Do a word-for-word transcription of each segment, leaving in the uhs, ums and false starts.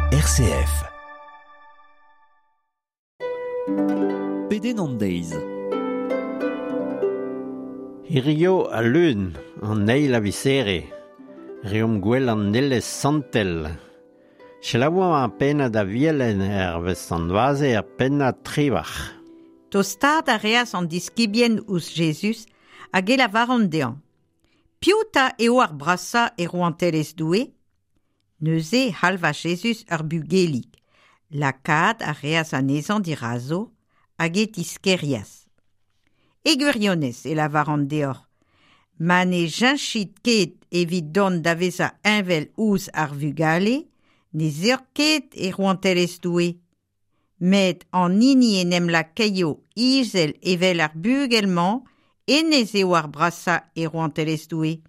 R C F. Pedenn an deiz. Hirio a lun, an eil a visere, reomp gwell an elez santel. Selaouañ ar pennad a vielen er vez an vaze ar pennad trivac'h. Tostaat a reas an diskibien ouzh Jezuz hag e lavaran dezhañ. Piv ta eo ar brasañ e rouantelezh Doue? Neuze halva Jezuz ur bugelig. Lakaat a reas anezhañ dirazo hag e tiskerias. E gwirionez e lavaran deoc'h, ma ne cheñchit ket evit dont da vezañ heñvel ouzh ar vugale, ne zeur ket e rouantelezh Doue. Met an hini en em lakaio izel evel ar bugel-mañ, hennezh eo ar brasañ e rouantelezh Doue.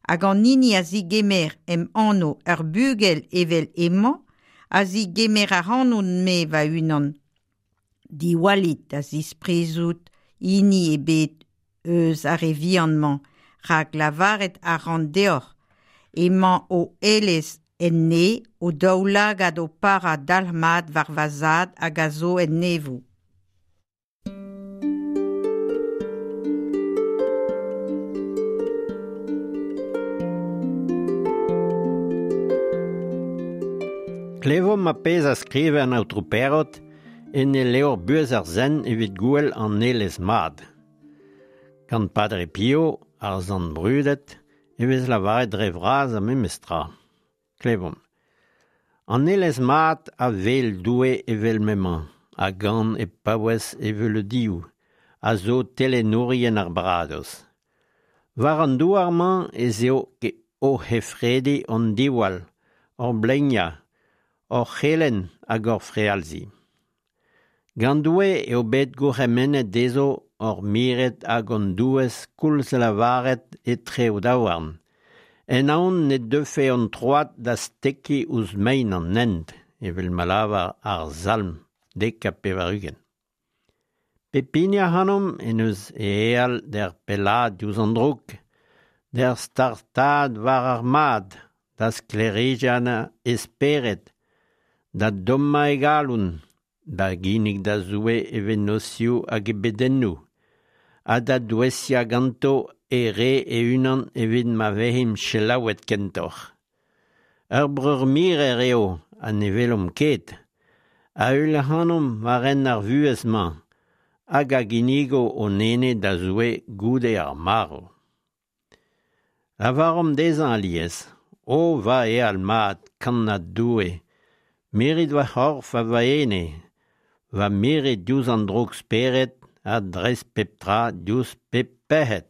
Hag an hini a zigemer em anv ur bugel evel hemañ, a zigemer ac'hanon-me va-unan. Diwallit da zisprizout hini ebet eus ar re vihan-mañ, rak lavaret a ran deoc'h, emañ o elez en ne o daoulagad o parañ dalc'hmat war va zad hag a zo en neñvoù. Klevomp a pezh a skrive an aotrou Perrot en e levr buhez ar sent evit gouel an elez mat. Gant Padre Pio, ar sant brudet, e vez lavaret dre vras a memestra. Klevomp. An elez mat a wel Doue evel m'emañ, a gan e paouez evel dioù, a zo telenourien ar baradoz. War an douar-mañ ez eo ke o hefredi an diwall, hor bleignañ, hor c'helenn hag hor frealzi. Gant Doue eo bet gourc'hemennet dezho hor miret hag hon douez koulz lavaret etre o daouarn. En aon ne deufe hon troad da stekiñ ouzh mein an hent, evel ma lavar ar salm dek ha pevar-ugent. Pep hini ac'hanomp en eus e eal d'er pellaat diouzh an droug, d'er startaat war ar mad, da sklêrijenn e spered, da dommañ e galon, da ginnig da Zoue e vennozhioù hag e bedennoù, ha da douesiañ ganto e re e-unan evit ma vezimp selaouet kentoc'h. Ur breur mirer eo ha ne welomp ket, a heul ac'hanomp war hent ar vuhez-mañ, hag a ginnigo hon ene da Zoue goude ar marv. Lavaromp dezhañ alies, o va eal mat, kannad Doue, mirit va c'horf ha va ene, va mirit diouzh an droug-spered ha dreist pep tra diouzh pep pec'hed.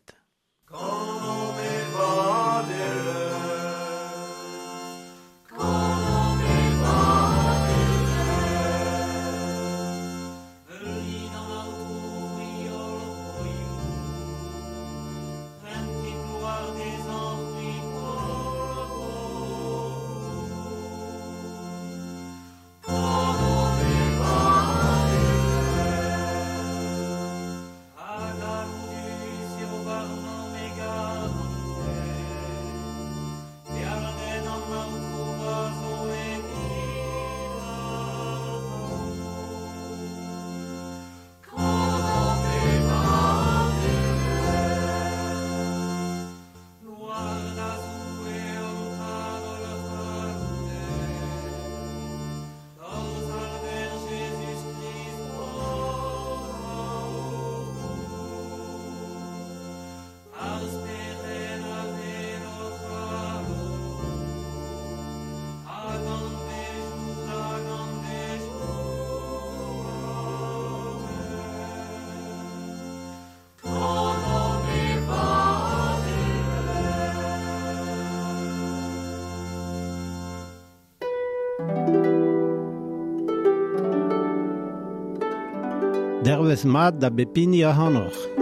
Dervez mat da bep hini ac'hanoc'h.